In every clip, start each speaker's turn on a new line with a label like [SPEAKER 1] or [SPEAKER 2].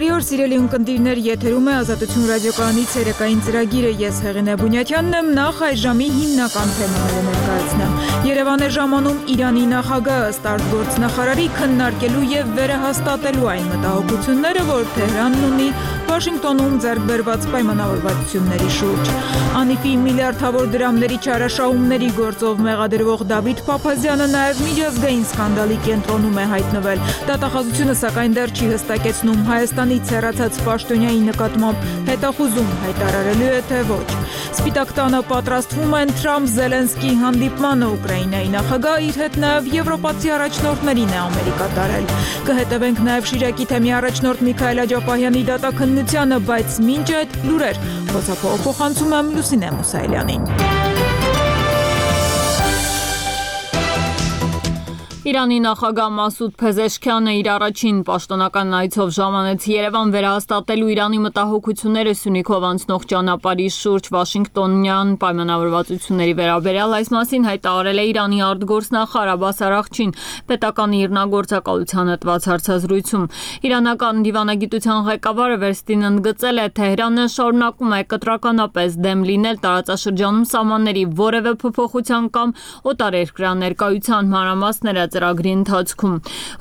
[SPEAKER 1] Բարի օր, սիրելի ունկնդիրներ, եթերում է Ազատություն ռադիոկայանի ցերեկային ծրագիրը։ Ես Հեղինե Բունյաթյանն եմ, նախ այժմի հիմնական թեմաները ներկայացնեմ։ Երևան է ժամանում Իրանի նախագահը ըստ արտգործնախարարի քննարկելու եւ վերահաստատելու այն մտահոգությունները, որ Թեհրանն ունի Վաշինգտոնում ձեռք բերված պայմանավորվածությունների շուրջ։ ԱՆԻՖ-ի միլիարդավոր դրամների չարաշահումների գործով մեղադրվող Դավիթ Փափազյանը նաեւ միջազգային սկանդալի կենտրոնում է հայտնվել։ Դատախազությունը սակայն դեռ չի հստակեցնում Հայաստանից հեռացած պաշտոնյայի նկատմամբ հետախուզում հայտարարելու է, թե ոչ։ Սպիտակ տանը պատրաստվում են Թրամփ-Զելենսկի հանդիպմանը, Ուկրաինայի նախագահը իր հետ նաև եվրոպացի առաջնորդներին է Ամերիկա տարել։ Կհետևենք նաև Շիրակի թեմի առաջնորդ Միքայել Աջափահյանի դատաքննությանը, բայց մինչ այդ լուրեր փոխանցում եմ Լուսինե Մուսայելյանին։ Իրանի նախագահ Մասուդ Փեզեշքյանը իր առաջին պաշտոնական այցով ժամանեց Երևան վերահաստատելու Իրանի մտահոգությունները Սյունիքով անցնող ճանապարհի շուրջ Վաշինգտոնյան պայմանավորվածությունների վերաբերյալ։ Այս մասին հայտարարել է Իրանի արտգործնախարար Աբբաս Արաղչին պետական իրնագործակալության հատված հարցազրույցում։ Իրանական դիվանագիտության ղեկավարը վերստին ընդգծել է, Թեհրանը շարունակում է կտրականապես դեմ լինել տարածաշրջանում սահմանների որևէ փոփոխության կամ օտարերկրյա ներկայության մանրամասները ծրագրի ընթացքում։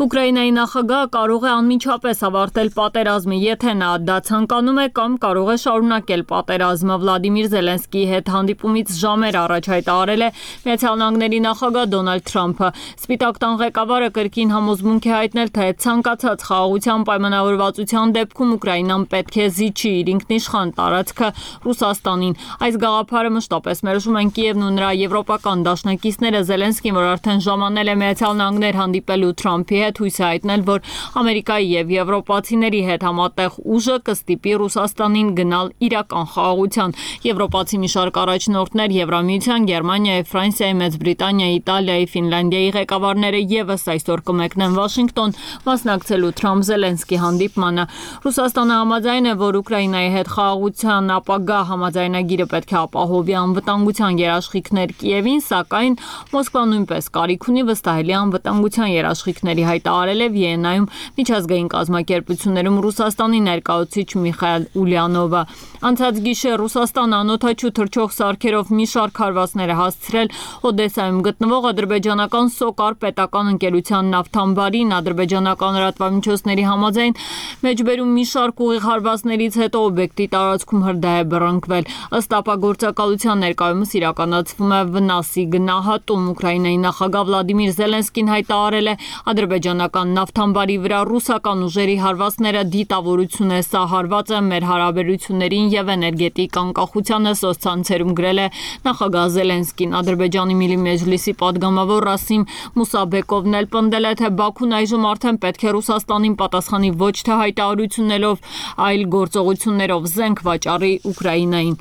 [SPEAKER 1] Ուկրաինայի նախագահը կարող է անմիջապես ավարտել պատերազմը, եթե նա դա ցանկանում է, կամ կարող է շարունակել պատերազմը։ Վլադիմիր Զելենսկիի հետ հանդիպումից ժամեր առաջ հայտարարել է Միացյալ Նահանգների նախագահ Դոնալդ Թրամփը։ Սպիտակ տան ղեկավարը կրկին համոզմունք է հայտնել, թե ցանկացած խաղաղության պայմանավորվածության դեպքում Ուկրաինան պետք է զիջի իր ինքնիշխան տարածքը Ռուսաստանին։ Այս գաղափարը մշտապես մերժում են Կիևն ու նրա եվրոպական դաշնակիցները։ Զելենսկին, որ արդեն ժամանել է Միացյալ Նահանգներ հանդիպելու Թրամփի հետ, հույս է հայտնել, որ Ամերիկայի եւ եվրոպացիների հետ համատեղ ուժը կստիպի Ռուսաստանին գնալ իրական խաղաղության։ Եվրոպացի մի շարք առաջնորդներ Եվրամիության, Գերմանիայի, Ֆրանսիայի, Մեծ Բրիտանիայի, Իտալիայի, Ֆինլանդիայի ղեկավարները եւս այսօր կմեկնեն Վաշինգտոն մասնակցելու Թրամփ-Զելենսկի հանդիպմանը։ Ռուսաստանը համաձայն է, որ Ուկրաինայի հետ խաղաղության ապագա համաձայնագիրը պետք է ապահովի անվտանգության երաշխիքներ Կիևին, սակայն Մոսկվան նույնպես կարիք ունի վստահելի անվտանգության երաշխիքների, հայտարարել է Վիեննայում միջազգային կազմակերպություններում Ռուսաստանի ներկայացուցիչ Միխայել Ուլյանովը։ Անցած գիշեր Ռուսաստանը անօդաչու թռչող սարքերով մի շարք հարվածներ է հասցրել Օդեսայում գտնվող ադրբեջանական Սոկար պետական ընկերության նավթամբարին։ Ադրբեջանական լրատվամիջոցների համաձայն մեջբերում մի շարք ուղիղ հարվածներից հետո օբյեկտի տարածքում հրդեհ է բռնկվել։ Ըստ ապագործակալության ներկայումս իրականացվում է վնասի գնահատում։ Ուկրաինայի նախագահ Վլադիմիր Զելենսկին հայտարարել է, ադրբեջանական նավթամբարի վրա ռուսական ուժերի հարվածները դիտավորություն է, սա հարված է մեր հարաբերություններին եւ էներգետիկ անկախությանը, սոցցանցերում գրել է նախագահ Զելենսկին։ Ադրբեջանի Միլի Մեջլիսի падգամավոր Ռասիմ Մուսաբեկովն էլ պնդել է, թե Բաքուն այժմ արդեն պետք է Ռուսաստանին պատասխանի ոչ թե հայտարարություններով, այլ գործողություններով զենք վաճառի Ուկրաինային։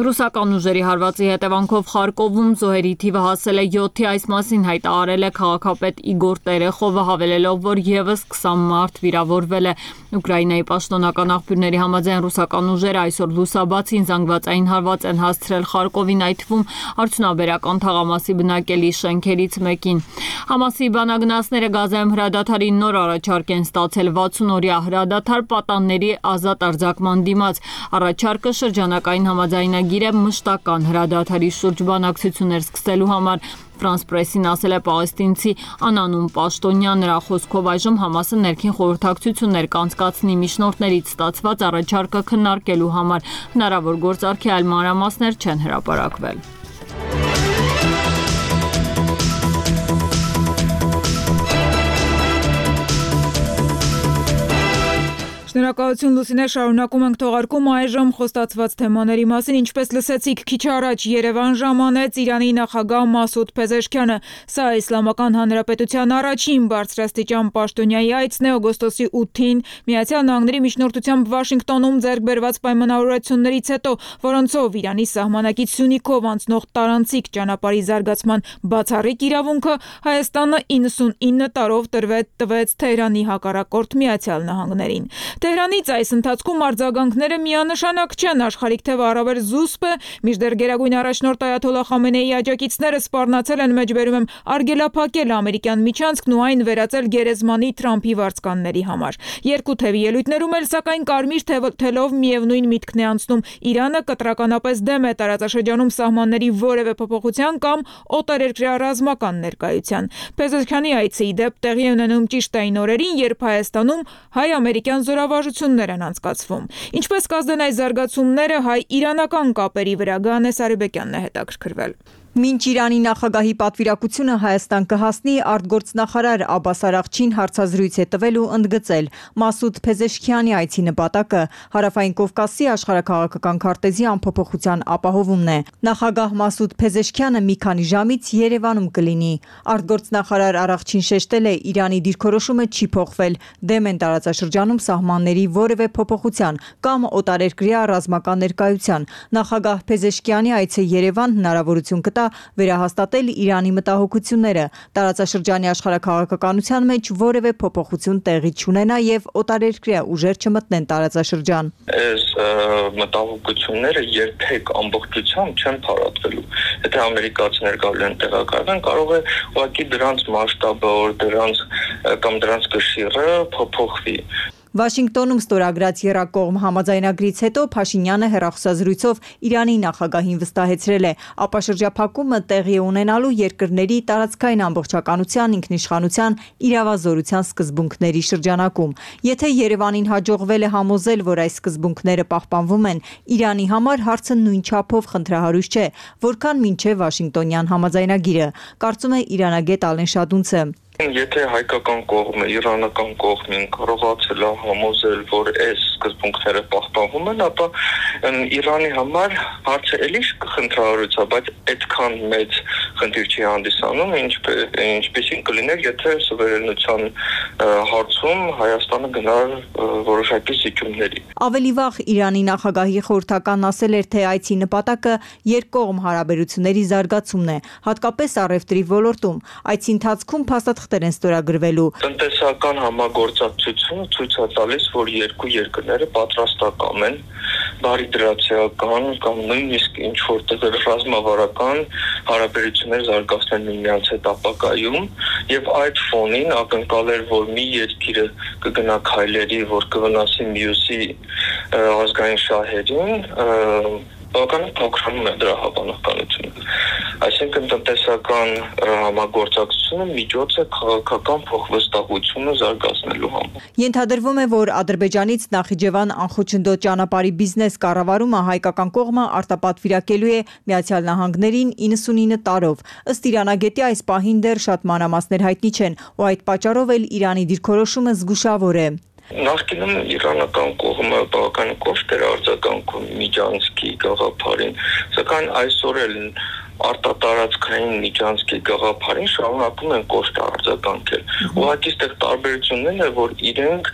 [SPEAKER 1] Ռուսական ուժերի հարվածի հետևանքով Խարկովում զոհերի թիվը հասել է 7-ի, այս մասին հայտարարել է քաղաքապետ Իգոր Տերեխովը, հավելելով, որ եւս 20 մարդ վիրավորվել է։ Ուկրաինայի պաշտոնական աղբյուրների համաձայն ռուսական ուժերը այսօր լուսաբացին զանգվածային հարված են հասցրել Խարկովին, այդ թվում արդյունաբերական թաղամասի բնակելի շենքերից մեկին։ Համասի բանագնացները Գազայում հրադադարի նոր առաջարկ են ստացել 60-օրյա հրադադար պատանների ազատ արձակման դիմաց։ Առաջարկը շրջանակային համաձայնագիր է մշտական հրադադարի շուրջ բանակցություններ սկսելու համար։ Ֆրանս պրեսին ասել է պաղեստինցի անանուն պաշտոնյա, նրա խոսքով այժմ Համասը ներքին խորհրդակցություններ կանցկացնի միջնորդներից ստացված առաջարկը քննարկելու համար։ Հնարավոր գործարքի այլ մանրամասներ չեն հրապարակվել։ Շնորհակալություն Լուսինե, շարունակում ենք թողարկումը այժմ խոստացված թեմաների մասին։ Ինչպես լսեցիք քիչ առաջ, Երևան ժամանեց Իրանի նախագահ Մասուդ Փեզեշքյանը։ Սա Իսլամական Հանրապետության առաջին բարձրաստիճան պաշտոնյայի այցն է օգոստոսի 8-ին Միացյալ Նահանգների միջնորդությամբ Վաշինգտոնում ձեռք բերված պայմանավորվածություններից հետո, որոնցով Իրանի սահմանակից Սյունիքով անցնող տարանցիկ ճանապարհի զարգացման բացառիկ իրավունքը Հայաստանը 99 տարով տվեց Թեհրանի հակառակորդ Միացյալ Նահանգներին։
[SPEAKER 2] Թեհրանից այս ընթացքում արձագանքները միանշանակ չեն, աշխարհիկ թևը առավել զուսպ է, մինչդեռ գերագույն առաջնորդ Այաթոլլահ Խամենեիի աջակիցները սպառնացել են, մեջբերում եմ, արգելափակել ամերիկյան միջանցքն ու այն վերածել գերեզմանի Թրամփի վարձկանների համար։ Երկու թևի ելույթներում էլ սակայն կարմիր թելով միևնույն միտքն է անցնում. Իրանը կտրականապես դեմ է տարածաշրջանում սահմանների որևէ փոփոխության կամ օտարերկրյա ռազմական ներկայության։ Փեզեշքյանի այցը ի դեպ տեղի է ունենում ճիշտ այն օրերին, երբ Հայաստանում հայ-ամերիկյան զորավարժություններ են անցկացվում։ Ինչպես կազդեն այս զարգացումները հայ-իրանական կապերի վրա, Գանե Սարիբեկյանն է հետաքրքրվել։
[SPEAKER 3] Մինչ Իրանի նախագահի պատվիրակությունը Հայաստան կհասնի, արտգործնախարար Աբբաս Արաղչին հարցազրույց է տվել ու ընդգծել Մասուդ Փեզեշքյանի այցի նպատակը Հարավային Կովկասի աշխարհաքաղաքական քարտեզի անփոփոխության ապահովումն է։ Նախագահ Մասուդ Փեզեշքյանը մի քանի ժամից Երևանում կլինի։ Արտգործնախարար Արաղչին շեշտել է Իրանի դիրքորոշումը չի փոխվել, դեմ են տարածաշրջանում սահմանների որևէ փոփոխության կամ օտարերկրյա ռազմական ներկայության։ Նախագահ Փեզեշքյանի այցը Երևան հնարավորություն կտա վերահաստատել Իրանի մտահոգությունները, տարածաշրջանի աշխարհաքաղաքականության մեջ որևէ փոփոխություն տեղի չունենա եւ օտարերկրյա ուժեր չմտնեն տարածաշրջան։
[SPEAKER 4] Այս մտահոգությունները երբեք ամբողջությամբ չեն փարատվելու։ Եթե ամերիկացիներ գալու են տեղակայվեն, կարող է ուղղակի դրանց մասշտաբը կամ դրանց կշիռը փոփոխվի։
[SPEAKER 3] Վաշինգտոնում ստորագրած եռակողմ համաձայնագրից հետո Փաշինյանը հեռախոսազրույցով Իրանի նախագահին վստահեցրել է ապաշրջափակումը տեղի ունենալու երկրների տարածքային ամբողջականության, ինքնիշխանության, իրավազորության սկզբունքների շրջանակում։ Եթե Երևանին հաջողվել է համոզել, որ այս սկզբունքները պահպանվում են, Իրանի համար հարցը նույն չափով խնդրահարույց չէ, որքան մինչև Վաշինգտոնյան համաձայնագիրը, կարծում է իրանագետ Ալեն Շադունցը։
[SPEAKER 4] Եթե հայկական կողմը, իրանական կողմին կարողացել է համոզել, որ այս սկզբունքները պահպանվում են, ապա Իրանի համար հարցը էլի խնդրահարույց է, բայց այդքան մեծ խնդիր չի հանդիսանում, ինչպեսին կլիներ, եթե սուվերենության հարցում Հայաստանը գնար որոշակի զիջումների։
[SPEAKER 3] Ավելի վաղ Իրանի նախագահի խորհրդականն ասել էր, թե այցի նպատակը երկկողմ հարաբերությունների զարգացումն է, հատկապես առևտրի ոլորտում։ Այցի ընթացքում փաստաթղթեր են ստորագրվելու։
[SPEAKER 4] Տնտեսական համագործակցությունը ցույց է տալիս, որ երկու երկրները պատրաստական են բարիդրացիական կամ նույնիսկ ինչ որտեղ ռազմավարական հարաբերություններ զարգացնել միմյանց հետ ապագայում, եւ այդ ֆոնին ակնկալել, որ մի երկիրը կգնա քայլերի, որ կվնասի մյուսի ազգային շահերին, բավականին փոքրանում է դրա հավանականությունը։ Այսինքն տնտեսական համագործակցությունը միջոց է քաղաքական փոխվստահությունը զարգացնելու համար։
[SPEAKER 3] Ենթադրվում է, որ Ադրբեջանից Նախիջևան անխոչնդոտ ճանապարհի բիզնես կառավարումը հայկական կողմը արտապատվիրակելու է Միացյալ Նահանգներին 99 տարով։ Ըստ իրանագետի այս պահին դեռ շատ մանրամասներ հայտնի չեն, ու այդ պատճառով էլ Իրանի դիրքորոշումը զգուշավոր է։
[SPEAKER 4] Նախկինում իրանական կողմը բավականին կոշտ էր արձագանքում Միջանցքի գաղափարին, սակայն այսօր էլ արտատարածքային Միջանցքի գաղափարին շարունակում են կոշտ արձագանքել։ Ուղղակի այստեղ տարբերությունն է, որ իրենք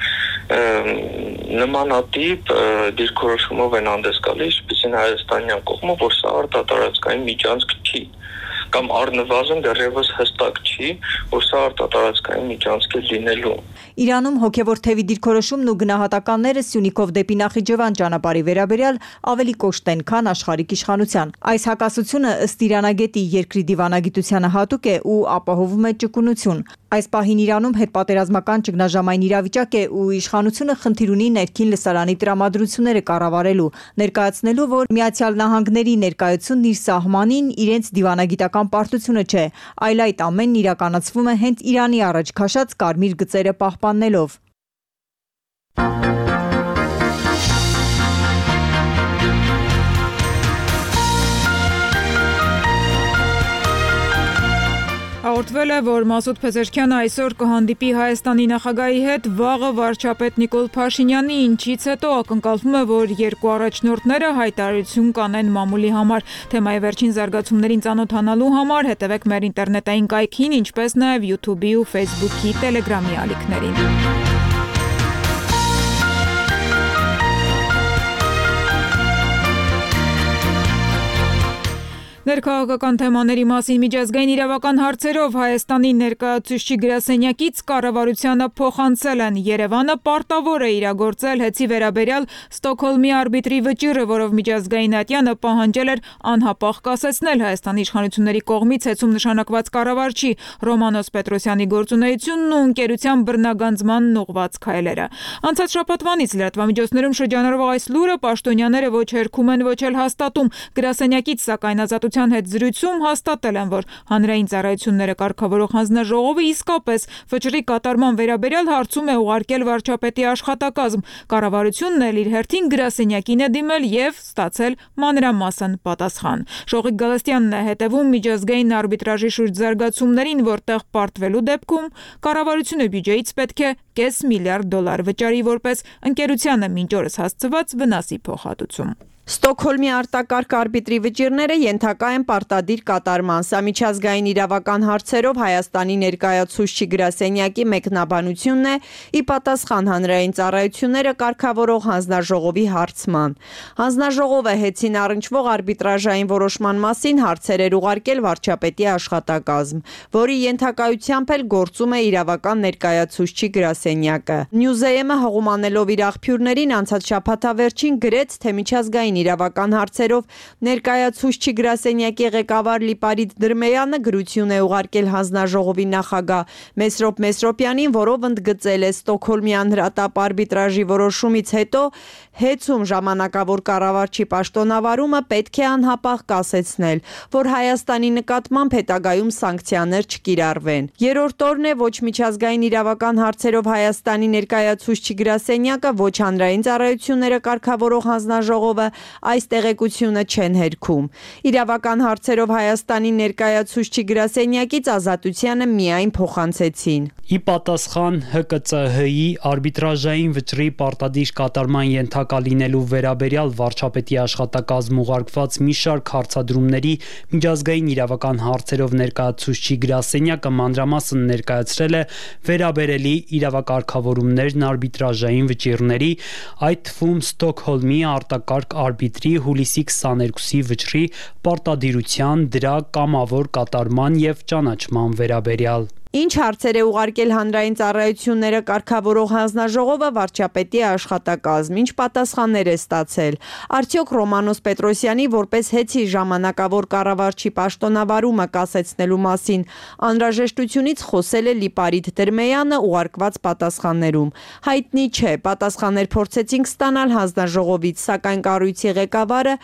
[SPEAKER 4] նմանատիպ դիրքորոշումով են հանդես գալիս, ինչպեսին հայաստանյան կողմը, որ սա արտատարածքային Միջանցք չի, կամ առնվազն դեռևս հստակ չի, որ սա արտատարածքային միջանցք է լինելու։
[SPEAKER 3] Իրանում հոգևոր թևի դիրքորոշումն ու գնահատականները Սյունիքով դեպի Նախիջևան ճանապարհի վերաբերյալ ավելի կոշտ են, քան աշխարհիկ իշխանության։ Այս հակասությունը ըստ իրանագետի երկրի դիվանագիտությանը հատուկ է ու ապահովում է ճկունություն։ Այս պահին Իրանում հետպատերազմական ճգնաժամային իրավիճակ է ու իշխանությունը խնդիր ունի ներքին լսարանի տրամադրությունները կառավարելու, ներկայացնելու, որ Միացյալ Նահանգների ներկայությունն իր սահմանին իրենց դիվանագիտական պարտությունը չէ, այլ այդ ամենն իրականացվում է հենց Իրանի առաջ քաշած կարմիր գծերը պահպանելով։
[SPEAKER 2] Հաղորդվել է, որ Մասուդ Փեզեշքյանը այսօր կհանդիպի Հայաստանի նախագահի հետ, վաղը վարչապետ Նիկոլ Փաշինյանի, ինչից հետո ակնկալվում է, որ երկու առաջնորդները հայտարարություն կանեն մամուլի համար։ Թեմայի վերջին զարգացումներին ծանոթանալու համար հետևեք մեր ինտերնետային կայքին, ինչպես նաև YouTube-ի ու Facebook-ի, Telegram-ի ալիքներին։ Ներքաղաքական թեմաների մասին միջազգային իրավական հարցերով Հայաստանի ներկայացուցչի գրասենյակից կառավարությանը փոխանցել են Երևանը պարտավոր է իրագործել հեծի վերաբերյալ Ստոկհոլմի արբիտրի վճիռը, որով միջազգային ատյանը պահանջել էր անհապաղ կասեցնել Հայաստանի իշխանությունների կողմից հեծում նշանակված կառավարչի Ռոմանոս Պետրոսյանի գործունեությունն ու ընկերության բռնագանձմանն ուղղված քայլերը։ Անցած շաբաթվանից լրատվամիջոցներում շրջանառվող այս լուրը պաշտոնյաները ոչ հերքում են, ոչ էլ հաստատում։ Գրասենյակից սակայն Ազատության հետ զրույցում հաստատել են, որ հանրային ծառայությունները կարգավորող հանձնաժողովը իսկապես վճռի կատարման վերաբերյալ հարցում է ուղարկել վարչապետի աշխատակազմ։ Կառավարությունն էլ իր հերթին գրասենյակին է դիմել եւ ստացել մանրամասն պատասխան։ Շողիկ Գալստյանն է հետևում միջազգային արբիտրաժի շուրջ զարգացումներին, որտեղ պարտվելու դեպքում կառավարությունը բյուջեից պետք է $500 միլիարդ վճարի որպես ընկերությանը մինչ օրս հասցված վնասի փոխհատուցում։
[SPEAKER 5] Ստոկհոլմի արտակարգ արբիտրի վճիռները ենթակա են պարտադիր կատարման։ Սա միջազգային իրավական հարցերով Հայաստանի ներկայացուցչի գրասենյակի մեկնաբանությունն է՝ ի պատասխան հանրային ծառայությունները կարգավորող հանձնաժողովի հարցման։ Հանձնաժողովը հեծին առնչվող արբիտրաժային որոշման մասին հարցեր էր ուղարկել վարչապետի աշխատակազմ, որի ենթակայությամբ էլ գործում է իրավական ներկայացուցչի գրասենյակը։ Նյուզեյեմը հղումանելով իր աղբյուրներին անցած շաբաթավերջին գրեց, թե միջազգային իրավական հարցերով ներկայացուցչի գրասենյակի ղեկավար Լիպարիտ Դրմեյանը գրություն է ուղարկել հանձնաժողովի նախագահ Մեսրոպ Մեսրոպյանին, որով ընդգծել է Ստոկհոլմի անհրատապ արբիտրաժի որոշումից հետո հեծում ժամանակավոր կառավարչի պաշտոնավարումը պետք է անհապաղ կասեցնել, որ Հայաստանի նկատմամբ հետագայում սանկցիաներ չկիրառվեն։ Երրորդ օրն է ոչ միջազգային իրավական հարցերով Հայաստանի ներկայացուցչի գրասենյակը, ոչ հանրային ծառայությունները կարգավորող հանձնաժողովը այս տեղեկությունը չեն հերքում։ Իրավական հարցերով Հայաստանի ներկայացուցչի գրասենյակից Ազատությանը միայն փոխանցեցին։
[SPEAKER 6] Ի պատասխան ՀԿՑՀ-ի արբիտրաժային վճռի պարտադիր կատարման ենթակա լինելու վերաբերյալ վարչապետի աշխատակազմ ուղարկված մի շարք հարցադրումների միջազգային իրավական հարցերով ներկայացուցչի գրասենյակը մանրամասն ներկայացրել է վերաբերելի իրավակարգավորումներն արբիտրաժային վճիռների, այդ թվում Ստոկհոլմի արտակարգ արբիտրի հուլիսի 22-ի վճռի պարտադիրության, դրա կամավոր կատարման եւ ճանաչման վերաբերյալ։
[SPEAKER 5] Ինչ հարցեր է ուղարկել հանրային ծառայությունները կարգավորող հանձնաժողովը վարչապետի աշխատակազմ, ինչ պատասխաններ է ստացել։ Արդյոք Ռոմանոս Պետրոսյանի որպես հեծի ժամանակավոր կառավարչի պաշտոնավարումը կասեցնելու մասին անհրաժեշտությունից խոսել է Լիպարիտ Դրմեյանը ուղարկված պատասխաններում։ Հայտնի չէ, պատասխաններ փորձեցինք ստանալ հանձնաժողովից, սակայն կառույցի ղեկավարը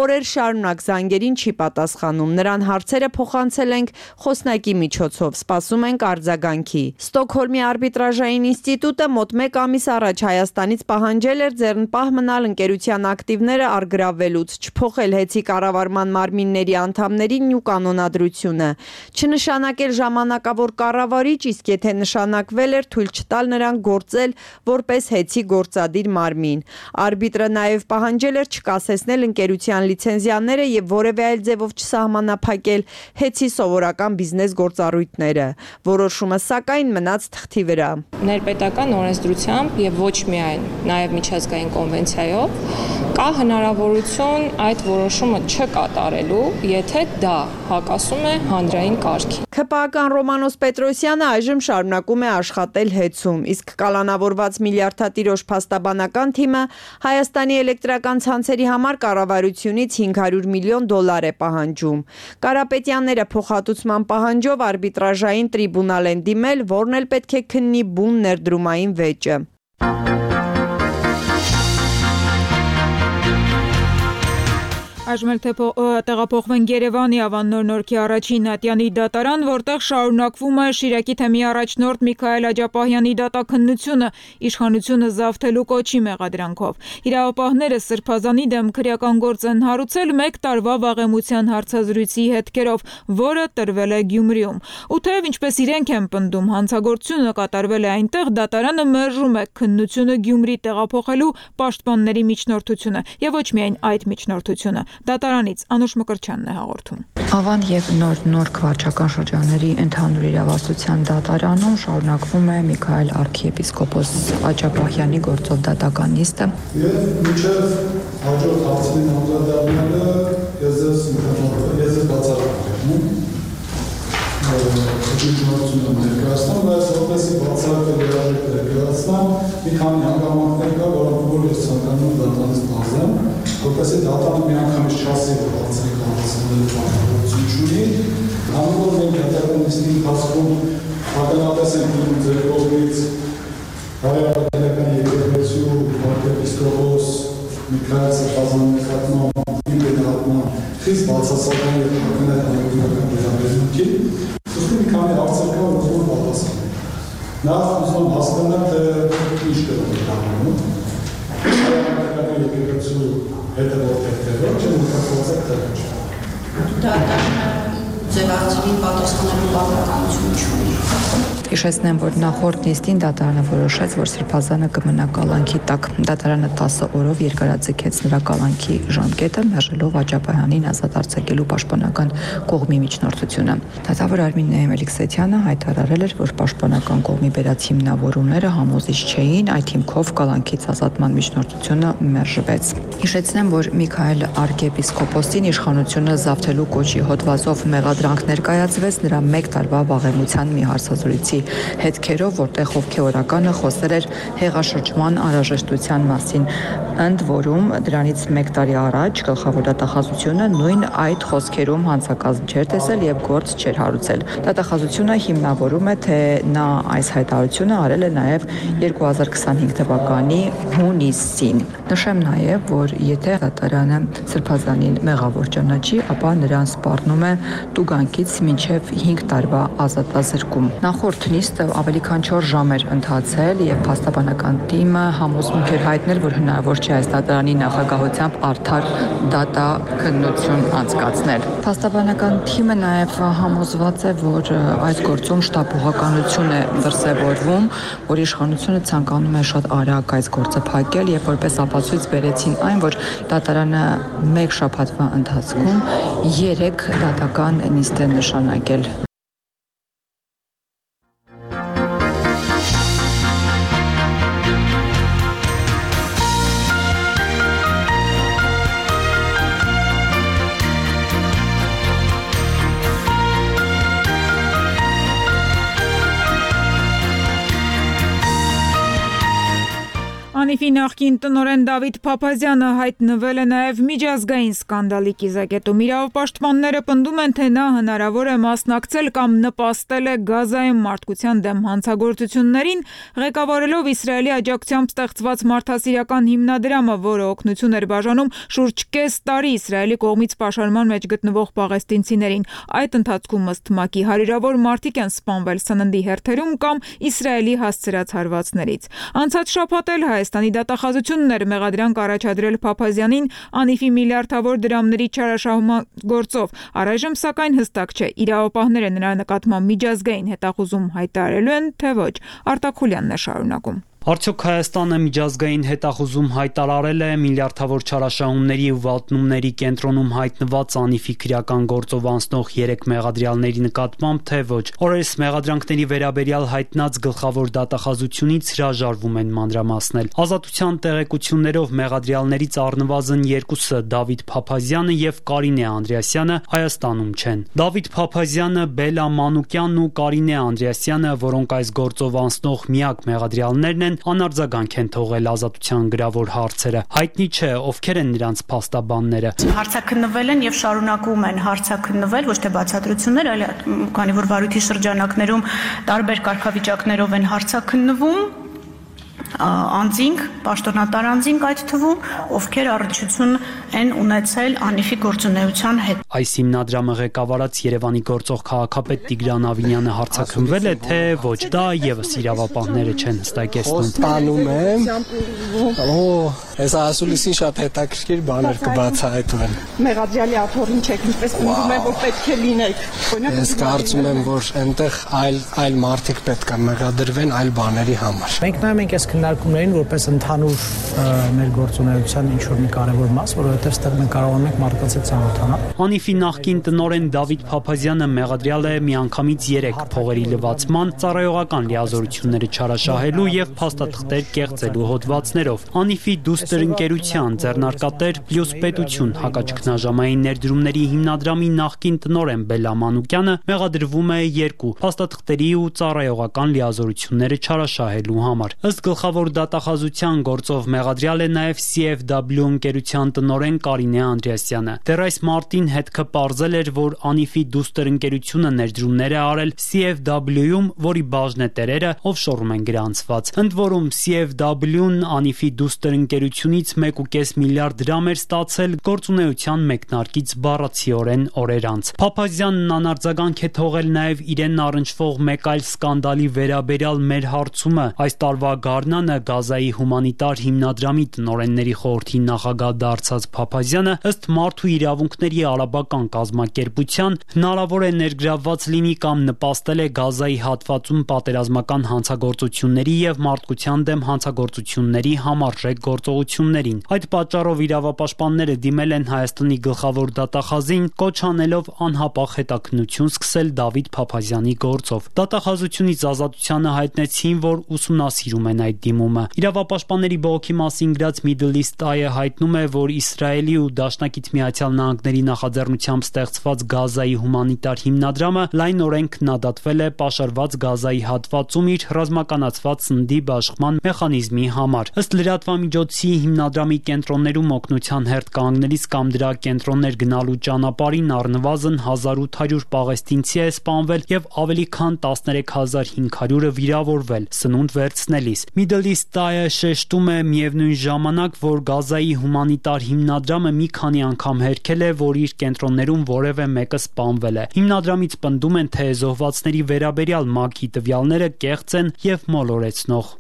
[SPEAKER 5] օրեր շարունակ զանգերին չի պատասխանում։ Նրան հարցերը փոխանցել ենք խոսնակի միջոցով, սպասում ենք արձագանքի։ Ստոկհոլմի արբիտրաժային ինստիտուտը մոտ 1 ամիս առաջ Հայաստանից պահանջել էր ձեռնպահ մնալ ընկերության ակտիվները առգրավվելուց, չփոխել հեծի կառավարման մարմինների անդամներին ու կանոնադրությունը, չնշանակել ժամանակավոր կառավարիչ, իսկ եթե նշանակվել էր, թույլ չտալ նրան գործել որպես հեծի գործադիր մարմին։ Արբիտրը նաև պահանջել էր չկասեցնել ընկերության լիցենզիաները եւ որևէ այլ ձևով չսահմանափակել հեծի սովորական բիզնես գործառույթները։ Որոշումը սակայն մնաց թղթի վրա։
[SPEAKER 7] Ներպետական օրենսդրությամբ եւ ոչ միայն նաեւ միջազգային կոնվենցիայով կա հնարավորություն այդ որոշումը չկատարելու, եթե դա հակասում է հանրային կարգին։
[SPEAKER 5] ՔՊԱ-ական Ռոմանոս Պետրոսյանը այժմ շարունակում է աշխատել հեծում, իսկ կալանավորված միլիարդատիրոջ փաստաբանական թիմը Հայաստանի էլեկտրական ցանցերի համար կառավարությունից $500 միլիոն է պահանջում։ Կարապետյանները փոխհատուցման պահանջով արբիտրաժային տրիբունալ են դիմել, որն էլ պետք է քննի բուն ներդրումային վեճը։
[SPEAKER 2] Այժմ էլ տեղափոխվենք Երևանի Ավաննոր Նորքի առաջին ատյանի դատարան, որտեղ շարունակվում է Շիրակի թեմի առաջնորդ Միքայել Աջապահյանի դատաքննությունը իշխանությունը զավթելու կոչի մեղադրանքով։ Իրավապահները Սրբազանի դեմ քրեական գործ են հարուցել 1 տարվա վաղեմության հարցազրույցի հետքերով, որը տրվել է Գյումրիում։ Ու թեև ինչպես իրենք են պնդում, հանցագործությունը կատարվել է այնտեղ, դատարանը մերժում է քննությունը Գյումրի տեղափոխելու պաշտպանների միջնորդությունը եւ ոչ միայն այդ միջնորդությունը։ Դատարանից Անուշ Մկրտչյանն է հաղորդում։
[SPEAKER 8] Ավան եւ Նորք վարչական շրջանների ընդհանուր իրավասության դատարանում շարունակվում է Միքայել arczepiskopos Աջապահյանի գործով դատական նիստը։ Եվ մինչև հաջորդ հարցին անդրադառնալը ես
[SPEAKER 9] Ջնջությունները ներկայացնեմ, բայց որպեսզի բացառական երաժիշտ ներկայացնեմ, մի քանի հանգամանքներ կա, որոնք ես ցանկանում եմ դատարանից բացեմ, որպեսզի դատարանը մի անգամից չասի, որ բացառիկ հանրացնելու պարտավորություն չունի, քանի որ մենք հետագա նիստի ընթացքում ականատես ենք լինում ձեր կողմից հայ-արաքելական եկեղեցու arczepiskopos Միքայել Սրբազանի նկատմամբ իմ նկատմամբ խիստ բացասական եւ հանրապետական վերաբերմունքի ուստի մի քանի հարցեր կա, որ պատասխանել։ Նախ ուզում հասկանալ, թե ինչ կողմանում։ Հայ-արաքելական եկեղեցու հետևորդներ թե ոչ, նկատողացեք թե ոչ։
[SPEAKER 10] Դատարանը ձևակերպի պատասխանելու բավականություն չունի։
[SPEAKER 8] Հիշեցնեմ, որ նախորդ նիստին դատարանը որոշեց, որ Սրբազանը կմնա կալանքի տակ։ Դատարանը 10 օրով երկարաձգեց նրա կալանքի ժամկետը, մերժելով Աջափահյանին ազատ արձակելու պաշտպանական կողմի միջնորդությունը։ Դատավոր Արմին Նեհմելիքսեթյանը հայտարարել էր, որ պաշտպանական կողմի բերած հիմնավորումները համոզիչ չէին, այդ հիմքով կալանքից ազատման միջնորդությունը մերժվեց։ Հիշեցնեմ, որ Միքայել arczepiskoposին իշխանությունը զավթելու կոչի հոդվածով մեղադրանք ներկայացվեց նրա 1 տարվա վաղեմության մի հարցազրույցի հետքերով, որտեղ հովքեորականը խոսել էր հեղաշրջման անհրաժեշտության մասին, ընդ որում դրանից 1 տարի առաջ գլխավոր դատախազությունը նույն այդ խոսքերում հանցակազմ չէր տեսել եւ գործ չէր հարուցել։ Դատախազությունը հիմնավորում է, թե նա այս հայտարարությունը արել է նաեւ 2025 թվականի հունիսին։ Նշեմ նաեւ, որ եթե դատարանը Սրբազանին մեղավոր ճանաչի, ապա նրան սպառնում է տուգանքից մինչև 5 տարվա ազատազրկում։ Նախորդ նիստը ավելի քան 4 ժամ էր ընթացել եւ փաստաբանական թիմը համոզմունք էր հայտնել, որ հնարավոր չէ այս դատարանի նախագահությամբ արդար դատաքննություն անցկացնել։ Փաստաբանական թիմը նաեւ համոզված է, որ այս գործում շտապողականություն է դրսևորվում, որ իշխանությունը ցանկանում է շատ արագ այս գործը փակել եւ որպես ապացույց բերեցին այն, որ դատարանը 1 շաբաթվա ընթացքում 3 դատական նիստ է նշանակել։
[SPEAKER 2] Անիֆի նախկին տնօրեն Դավիթ Փափազյանը հայտնվել է նաև միջազգային սկանդալի կիզակետում։ Իրավապաշտպանները պնդում են, թե նա հնարավոր է մասնակցել կամ նպաստել է Գազայում մարդկության դեմ հանցագործություններին, ղեկավարելով Իսրայելի աջակցությամբ ստեղծված մարդասիրական հիմնադրամը, որը օգնություն էր բաժանում շուրջ կես տարի Իսրայելի կողմից պաշարման մեջ գտնվող պաղեստինցիներին։ Այդ ընթացքում ըստ ՄԱԿ-ի հարյուրավոր մարդիկ են սպանվել սննդի հերթերում կամ Իսրայելի հասցրած հարվածներից։ Անցած շաբաթ էլ Հայաստանի դատախազությունն էր մեղադրանք առաջադրել Փափազյանին Անիֆի միլիարդավոր դրամների չարաշահման գործով։ Առայժմ սակայն հստակ չէ, իրավապահները նրա նկատմամբ միջազգային հետախուզում հայտարարելու են, թե ոչ։ Արտակ Խուլյանն է շարունակում։
[SPEAKER 6] Արդյոք Հայաստանը միջազգային հետախուզում հայտարարել է միլիարդավոր չարաշահումների ու վատնումների կենտրոնում հայտնված Անիֆի քրեական գործով անցնող 3 մեղադրյալների նկատմամբ, թե ոչ։ Օրերս մեղադրանքների վերաբերյալ հայտնած գլխավոր դատախազությունից հրաժարվում են մանրամասնել։ Ազատության տեղեկություններով մեղադրյալներից առնվազն 2-ը Դավիթ Փափազյանը եւ Կարինե Անդրեասյանը Հայաստանում չեն։ Դավիթ Փափազյանը, Բելա Մանուկյանն ու Կարինե Անդրեասյանը, որոնք այս գործով անցնող միակ մեղադրյալներն են, անարձագանք են թողել ազատության գրավոր հարցերը։ Հայտնի չէ, ովքեր են նրանց փաստաբանները։
[SPEAKER 10] Հարցաքննվել են եւ շարունակում են հարցաքննվել, ոչ թե բացատրություններ, այլ քանի որ վարույթի շրջանակներում տարբեր կարգավիճակներով են հարցաքննվում անձինք, պաշտոնատար անձինք այդ թվում, ովքեր առնչություն են ունեցել Անիֆի գործունեության հետ։
[SPEAKER 6] Այս հիմնադրամը ղեկավարած Երևանի գործող քաղաքապետ Տիգրան Ավինյանը հարցաքննվել է, թե ոչ, դա եւս իրավապահները չեն հստակեցնում։
[SPEAKER 11] Ստանում եմ։ Այս ասուլիսին շատ հետաքրքիր բաներ կբացահայտվեն։ Մեղադրյալի աթոռին չեք, ինչպես պնդում են, որ պետք է լինեք։ Ես կարծում եմ, որ այնտեղ այլ մարդիկ պետք է մեղադրվեն այլ բաների համար։
[SPEAKER 12] Մենք նայում ենք այս քննարկումներին որպես ընդհանուր մեր գործունեության ինչ-որ մի կարևոր մաս, որովհետև այստեղ մենք կարողանում ենք մարդկանց հետ ծանոթանալ։
[SPEAKER 6] Անիֆի նախկին տնօրեն Դավիթ Փափազյանը մեղադրյալ է միանգամից 3 փողերի լվացման, ծառայողական լիազորությունները չարաշահելու եւ փաստաթղթեր կեղծելու հոդվածներով։ Անիֆի դուստր ընկերության ձեռնարկատեր Պլյուս պետություն հակաճգնաժամային ներդրումների հիմնադրամի նախկին տնօրեն Բելլա Մանուկյանը մեղադրվում է 2 փաստաթղթերի ու ծառայողական լիազորությունները չարաշահելու համար։ Ըստ գլխավոր դատախազության գործով մեղադրյալ է նաև CFW ընկերության տնօրեն Կարինե Անդրեասյանը։ Դեռ այս մարտին հետքը պարզել էր, որ Անիֆի դուստր ընկերությունը ներդրումներ է արել CFW-ում, որի բաժնետերերը օֆշորում են գրանցված։ Ընդ որում CFW-ն Անիֆի դուստր ընկերությունից 1.5 միլիարդ դրամ էր ստացել գործունեության մեկնարկից բառացիորեն օրեր անց։ Փափազյանն անարձագանք է թողել նաև իրեն առնչվող մեկ այլ սկանդալի վերաբերյալ մեր հարցումը։ Այս տարվա գարնանը Գազայի հումանիտար հիմնադրամի տնօրենների խորհրդի նախագահ դարձած Փափազյանը ըստ Մարդու իրավունքների արաբական կազմակերպության հնարավոր է ներգրավված լինի կամ նպաստել է Գազայի հատվածում պատերազմական հանցագործությունների եւ մարդկության դեմ հանցագործությունների համարժեք գործողություններին։ Այդ պատճառով իրավապաշտպանները դիմել են Հայաստանի գլխավոր դատախազին, կոչ անելով անհապաղ հետաքննություն սկսել Դավիթ Փափազյանի գործով։ Դատախազությունից ազատությանը հայտնեցին, որ ուսումնասիրում են այդ դիմումը։ Իրավապաշտպանների բողոքի մասին գրած Middle East Eye-ը հայտնում է, որ Իսրայելի ու Դաշնակից Միացյալ Նահանգների նախաձեռնությամբ ստեղծված Գազայի հումանիտար հիմնադրամը լայնորեն քննադատվել է պաշարված Գազայի հատվածում իր ռազմականացված սննդի բաշխման մեխանիզմի համար։ Ըստ լրատվամիջոցի հիմնադրամի կենտրոններում օգնության հերթ կանգնելիս կամ դրա կենտրոններ գնալու ճանապարհին առնվազն 1800 պաղեստինցի է սպանվել եւ ավելի քան 13500-ը վիրավորվել սնունդ վերցնելիս։ Middle East Eye-ը շեշտում է միևնույն ժամանակ, որ Գազայի հումանիտար հիմնադրամը մի քանի անգամ հերքել է, որ իր կենտրոններում որևէ մեկը սպանվել է։ Հիմնադրամից պնդում են, թե զոհվածների վերաբերյալ ՄԱԿ-ի տվյալները կեղծ են եւ մոլորեցնող։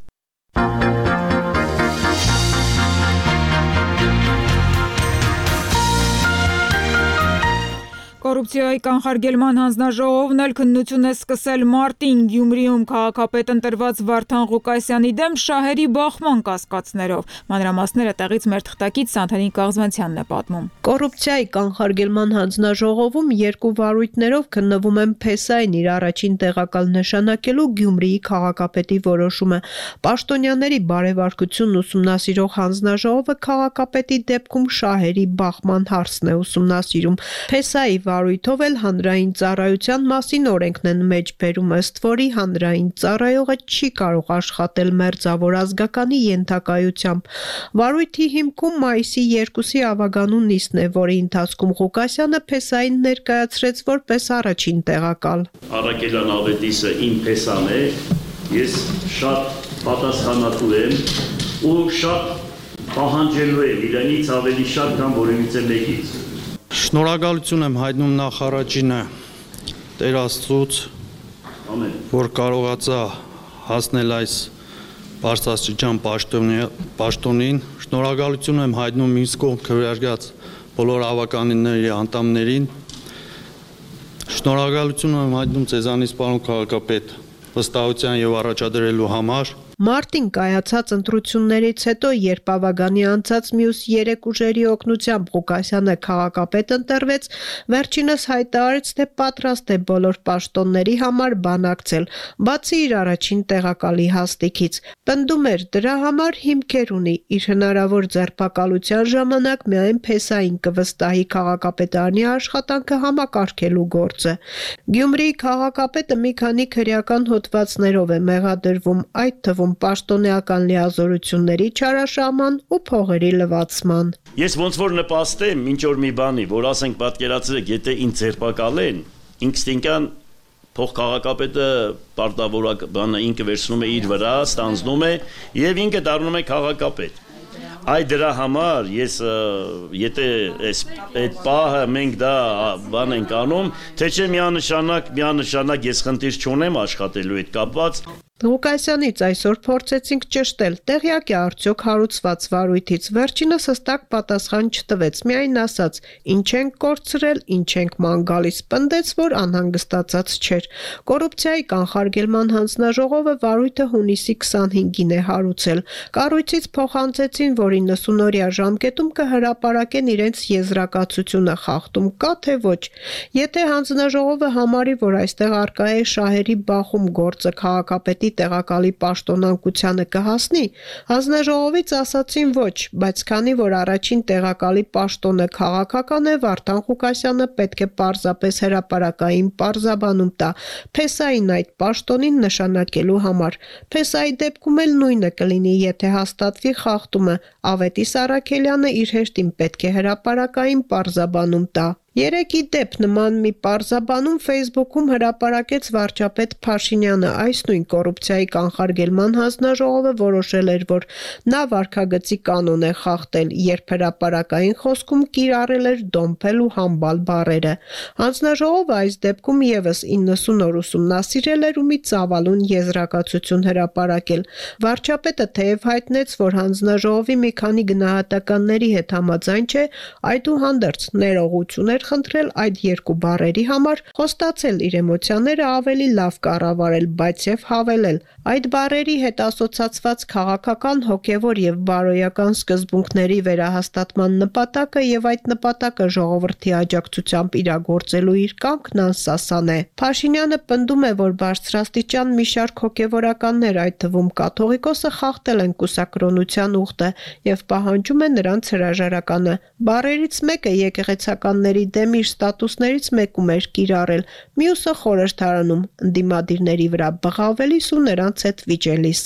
[SPEAKER 2] Կոռուպցիայի կանխարգելման հանձնաժողովն էլ քննություն է սկսել մարտին Գյումրիում քաղաքապետ ընտրված Վարդան Ղուկասյանի դեմ շահերի բախման կասկածներով։ Մանրամասները տեղից մեր թղթակից Սանթանին Կաղզվանցյանն է պատմում։
[SPEAKER 5] Կոռուպցիայի կանխարգելման հանձնաժողովում 2 վարույթներով քննվում են Փեսային իր առաջին տեղակալ նշանակելու Գյումրիի քաղաքապետի որոշումը։ Պաշտոնյաների բարեվարկությունն ուսումնասիրող հանձնաժողովը քաղաքապետի դեպքում շահերի բախման հարցն է ուսումնասիրում։ Փեսայի վարույթով էլ հանրային ծառայության մասին օրենքն են մեջբերում, ըստ որի հանրային ծառայողը չի կարող աշխատել մերձավոր ազգականի ենթակայությամբ։ Վարույթի հիմքում մայիսի 2-ի ավագանու նիստն է, որի ընթացքում Ղուկասյանը Փեսային ներկայացրեց որպես առաջին տեղակալ։
[SPEAKER 13] Առաքելյան ավետիսը իմ Փեսան է, ես շատ պատասխանատու եմ ու շատ պահանջելու եմ իրենից ավելի շատ, քան որևիցե մեկից։
[SPEAKER 14] Շնորհակալություն եմ հայտնում նախարարինը Տեր Աստծուց, որ կարողացա հասնել այս բարձրաստիճան պաշտոնին։ Շնորհակալություն եմ հայտնում ինձ կողմ քվեարկած բոլոր ավականների անդամներին։ Շնորհակալություն եմ հայտնում ձեզանից, պարոն քաղաքապետ, վստահության եւ առաջադրելու համար։
[SPEAKER 5] Մարտին կայացած ընտրություններից հետո, երբ ավագանի անցած մյուս 3 ուժերի օգնությամբ Ղուկասյանը քաղաքապետ ընտրվեց, վերջինս հայտարարեց, թե պատրաստ է բոլոր պաշտոնների համար բանակցել, բացի իր առաջին տեղակալի հաստիքից։ Պնդում էր, դրա համար հիմքեր ունի, իր հնարավոր ձերբակալության ժամանակ միայն Փեսային կվստահի քաղաքապետարանի աշխատանքը համակարգելու գործը։ Գյումրիի քաղաքապետը մի քանի քրեական հոդվածներով է մեղադրվում, այդ թվում պաշտոնեական լիազորությունների չարաշահման ու փողերի լվացման։
[SPEAKER 13] Ես ոնց որ նպաստեմ ինչ որ մի բանի, որ ասենք պատկերացրեք, եթե ինձ ձերբակալեն, ինստինկտան փող քաղաքապետը պարտավորակ բանը ինքը վերցնում է իր վրա, ստանձնում է եւ ինքը դառնում է քաղաքապետ։ Այդ դրա համար ես եթե այդ պահը մենք դա բան ենք անում, թե չէ միանշանակ ես խնդիր չունեմ աշխատելու հետ կապված։
[SPEAKER 15] Ղուկասյանից այսօր փորձեցինք ճշտել, տեղյակ է արդյոք հարուցված վարույթից, վերջինս հստակ պատասխան չտվեց, միայն ասաց, ինչ ենք կորցրել, ինչ ենք ման գալիս, պնդեց, որ անհանգստացած չէր։ Կոռուպցիայի կանխարգելման հանձնաժողովը վարույթը հունիսի 25-ին է հարուցել։ Կառույցից փոխանցեցին, որ 90-օրյա ժամկետում կհրապարակեն իրենց եզրակացությունը, խախտում կա թե ոչ։ Եթե հանձնաժողովը համարի, որ այստեղ առկա է շահերի բախում, գործը քաղաքապետի տեղակալի պաշտոնանկությանը կհասնի, հանձնաժողովից ասացին ոչ, բայց քանի որ առաջին տեղակալի պաշտոնը քաղաքական է, Վարդան Ղուկասյանը պետք է պարզապես հրապարակային պարզաբանում տա Փեսային այդ պաշտոնին նշանակելու համար։ Փեսայի դեպքում էլ նույնը կլինի, եթե հաստատվի խախտումը, Ավետիս Առաքելյանը իր հեշտին պետք է հրապարակային պարզաբանում տա։ Երեքի դեպ նման մի պարզաբանում Facebook-ում հրապարակեց վարչապետ Փաշինյանը, այս նույն կոռուպցիայի կանխարգելման հանձնաժողովը որոշել էր, որ նա վարքագծի կանոն է խախտել, երբ հրապարակային խոսքում կիրառել էր դոմփել ու համբալ բառերը։ Հանձնաժողովը այս դեպքում եւս 90 օր ուսումնասիրել էր ու մի ծավալուն եզրակացություն հրապարակել։ Վարչապետը թեև հայտնեց, որ հանձնաժողովի մի քանի գնահատականների հետ համաձայն չէ, այդուհանդերձ ներողություն էր խնդրել այդ երկու բառերի համար, խոստացել իր էմոցիաները ավելի լավ կառավարել, բայց եւ հավելել. այդ բառերի հետ ասոցացված քաղաքական, հոգեվոր եւ բարոյական սկզբունքների վերահաստատման նպատակը եւ այդ նպատակը ժողովրդի աջակցությամբ իրագործելու իր կամքն անսասան է։ Փաշինյանը պնդում է, որ բարձրաստիճան մի շարք հոգեվորականներ, այդ թվում կաթողիկոսը, խախտել են կուսակրոնության ուխտը եւ պահանջում է նրանց հրաժարականը։ Բառերից մեկը եկեղեցականների դեմ իր ստատուսներից մեկում էր կիրառել, մյուսը խորհրդարանում ընդդիմադիրների վրա բղավելիս ու նրանց հետ վիճելիս։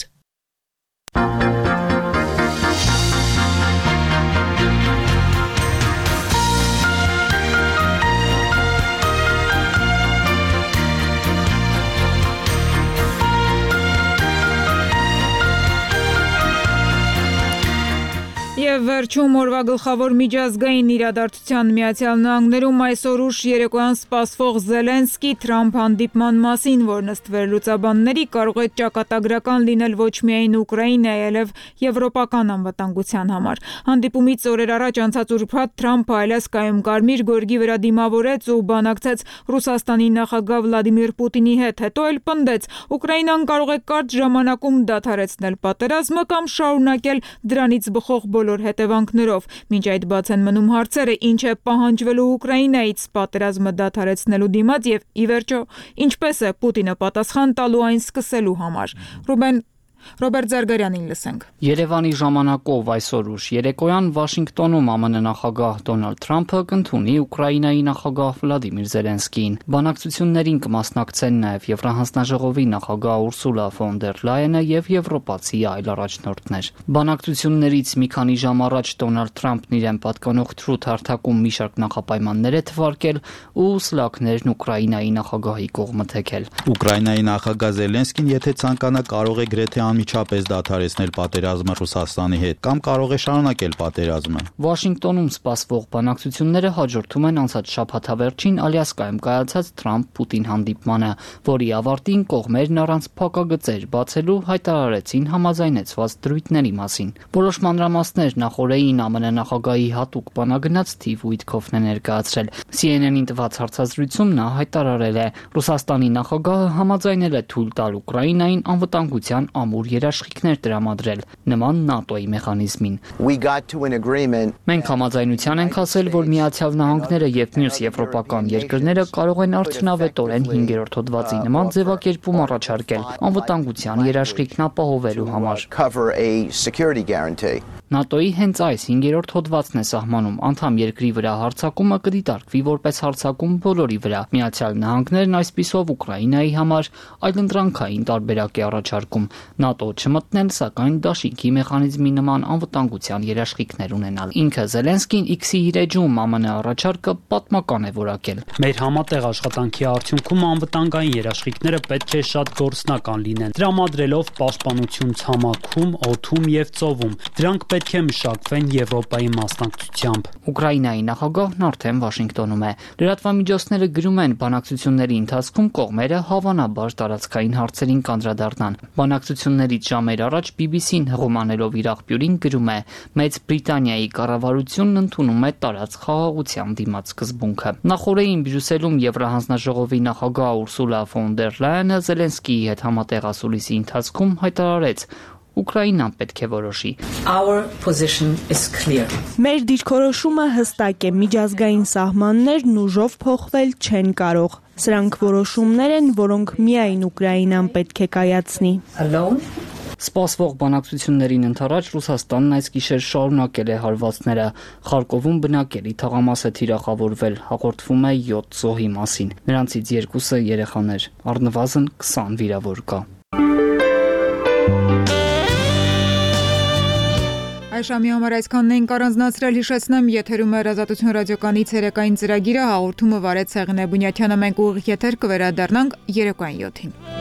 [SPEAKER 2] Եվ վերջում օրվա գլխավոր միջազգային իրադարձության Միացյալ Նահանգներում այսօր ուշ երեկոյան սպասվող Զելենսկի-Թրամփ հանդիպման մասին, որն ըստ վերլուծաբանների կարող է ճակատագրական լինել ոչ միայն Ուկրաինայի, այլև եվրոպական անվտանգության համար։ Հանդիպումից օրեր առաջ անցած ուրբաթ Թրամփը Ալյասկայում Կարմիր գորգի վրա դիմավորեց ու բանակցեց Ռուսաստանի նախագահ Վլադիմիր Պուտինի հետ, հետո էլ պնդեց. Ուկրաինան կարող է կարճ ժամանակում դադարեցնել պատերազմը կամ շարունակել դրանից բխող բոլոր հետևանքներով։ Մինչ այդ բաց են մնում հարցերը, ինչ է պահանջվելու Ուկրաինայից պատերազմը դադարեցնելու դիմաց եւ ի վերջո ինչպես է Պուտինը պատասխան տալու այն սկսելու համար։ Ռոբերտ Զարգարյանին լսենք։
[SPEAKER 16] Երևանի ժամանակով այսօր ուշ երեկոյան Վաշինգտոնում ԱՄՆ նախագահ Դոնալդ Թրամփը կընդունի Ուկրաինայի նախագահ Վլադիմիր Զելենսկիին։ Բանակցություններին կմասնակցեն նաև Եվրահանձնաժողովի նախագահ Ուրսուլա ֆոն դեր Լայենը եւ եվրոպացի այլ առաջնորդներ։ Բանակցություններից մի քանի ժամ առաջ Դոնալդ Թրամփն իրեն պատկանող թրութ հարթակում մի շարք նախապայմաններ է թվարկել ու սլաքներն Ուկրաինայի նախագահի կողմը թեքել։
[SPEAKER 17] Ուկրաինայի նախագահ Զելենսկին, եթե ցանկանա, կարող է գրեթե անմիջապես դադարեցնել պատերազմը Ռուսաստանի հետ կամ կարող է շարունակել պատերազմը։
[SPEAKER 16] Վաշինգտոնում սպասվող բանակցությունները հաջորդում են անցած շաբաթավերջին Ալյասկայում կայացած Թրամփ-Պուտին հանդիպմանը, որի ավարտին կողմերն առանց փակագծեր բացելու հայտարարեցին համաձայնեցված դրույթների մասին։ Որոշ մանրամասներ նախորդին ԱՄՆ նախագահի հատուկ բանագնաց Սթիվ Ուիթքոֆն է ներկայացրել։ CNN-ին տված հարցազրույցում նա հայտարարել է. Ռուսաստանի նախագահը համաձայնել է թույլ տալ Ուկրաինային անվտանգության ամուր երաշխիքներ տրամադրել նման ՆԱՏՕ-ի մեխանիզմին։ Մենք համաձայնության ենք հասել, որ Միացյալ Նահանգները եւ մյուս եվրոպական երկրները կարող են արդյունավետորեն 5-րդ հոդվածի նման ձևակերպում առաջարկել անվտանգության երաշխիքն ապահովելու համար։ ՆԱՏՕ-ի հենց այս 5-րդ հոդվածն է սահմանում անդամ երկրի վրա հարձակումը կդիտարկվի որպես հարձակում բոլորի վրա։ Միացյալ Նահանգներն այսպիսով Ուկրաինայի համար այլընտրանքային տարբերակ է առաջարկում։ ՆԱՏՕ չմտնել, սակայն դաշինքի մեխանիզմի նման անվտանգության երաշխիքներ ունենալ։ Ինքը Զելենսկին X-ի իր էջում ԱՄՆ առաջարկը պատմական է որակել։
[SPEAKER 6] Մեր համատեղ աշխատանքի արդյունքում անվտանգային երաշխիքները պետք է շատ գործնական լինեն, տրամադրելով պաշտպանություն ցամաքում, օդում եւ ծովում։ Դրանք պետք է մշակվեն Եվրոպայի մասնակցությամբ։
[SPEAKER 16] Ուկրաինայի նախագահն արդեն Վաշինգտոնում է։ Լրատվամիջոցները գրում են, բանակցությունների ընթացքում կողմերը հավանաբար տարածքային հարցերին կանդրադառնան։ Բանակցություններից ժամեր առաջ BBC-ն հղումանելով իր աղբյուրին գրում է. Մեծ Բրիտանիայի կառավարությունն ընդունում է տարածք խաղաղության դիմաց սկզբունքը։ Նախորդին Բրյուսելում Եվրահանձնաժողովի նախագահ Ուրսուլա ֆոն դեր Լայենը Զելենսկիի հետ համատեղ ասուլիսի ընթացքում հայտարարեց. Ուկրաինան պետք է որոշի։
[SPEAKER 18] Մեր դիրքորոշումը հստակ է, միջազգային սահմաններն ուժով փոխվել չեն կարող։ Սրանք որոշումներ են, որոնք միայն Ուկրաինան պետք է կայացնի։
[SPEAKER 16] Սպասվող բանակցություններին ընդառաջ Ռուսաստանն այս գիշեր շարունակել է հարվածները։ Խարկովում բնակելի թաղամաս է թիրախավորվել, հաղորդվում է 7 զոհի մասին։ Նրանցից 2-ը երեխաներ, առնվազն 20 վիրավոր կա։
[SPEAKER 2] Այժմի համար այսքանն ենք առանձնացրել, հիշեցնեմ, եթերում է Ազատություն ռադիոկայանի ցերեկային ծրագիրը, հաղորդումը վարեց Սեղինե Բունյաթյանը, մենք ուղիղ եթեր կվերադառնանք երեկոյան 7-ին։